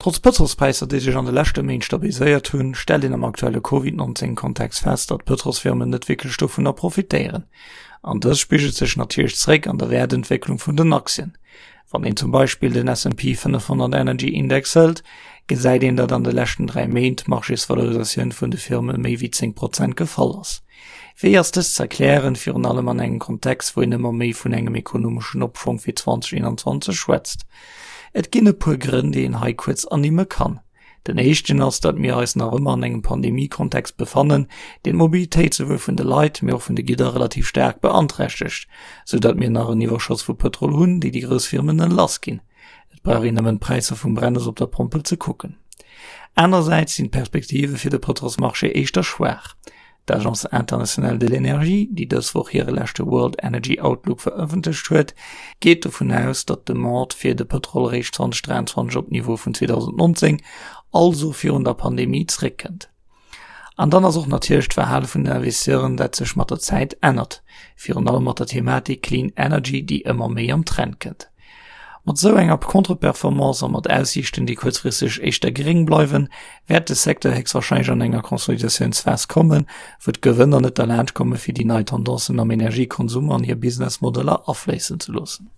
Trotz Pëtrolspräisser, déi sech an de leschte Méint stabiliséiert hunn, stellt een am aktuelle Covid 19 Kontext fest, datt d'Pëtrolsfirmen net wierklech dovunner profitéieren. An dëst spigelt sech natierlech zeréck an der Wäertentwécklung vun den Aktien. Wann een zum Beispill den S&P 500 Energy Index hëlt, gesäit een, datt an de leschten 3 Méint d'Marchésvalorisatioun vun de Firme méi wéi 10 Prozent gefall ass. Wéi ass dëst ze erklären, virun allem an engem Kontext, wou een ëmmer méi vun engem ekonomeschen Opschwong fir 2021 schwätzt? Et ginn e puer Grënn, déi een hei kuerz ernimme kann. Den éischten ass, datt mir eis nach ëmmer an engem Pandemie-Kontext befannen, deen d'Mobilitéit souwuel vun de Leit, mee och vun de Gidder relativ staark beanträchtegt, sou datt mir nach en Iwwerschoss vu Pëtrol hunn, déi déi grouss Firmen lass ginn. Et brauch een nëmmen d'Präisser vum Brennes op der Pompel ze kucken. Anersäits sinn d'Perspektive fir de Pëtrolsmarché éischter schwaach. D'Agence internationale de l'énergie, déi dës Woch hire leschte World Energy Outlook verëffentlecht huet, geet dovun aus, datt d'Demande fir de Pëtrol eréischt 2023 op d'Niveau vun 2019, also virun der Pandemie, zeréckkënnt. An dann ass och natierlech d'Verhale vun den Investisseuren, dat sech mat der Zäit ännert, virun allem mat der Thematik Clean Energy, déi ëmmer méi am Trend kënnt. Mat esou enger Contre-Performance a mat Aussiichten, déi kuerzfristeg éischter geréng bleiwen, wäert de Secteur héchstwahrscheinlech an enger Konsolidatiounsphas kommen, wou d'Gewënner net derlaanscht komme fir déi nei Tendancen am Energiekonsum an hir Businessmodeller afléissen ze loossen.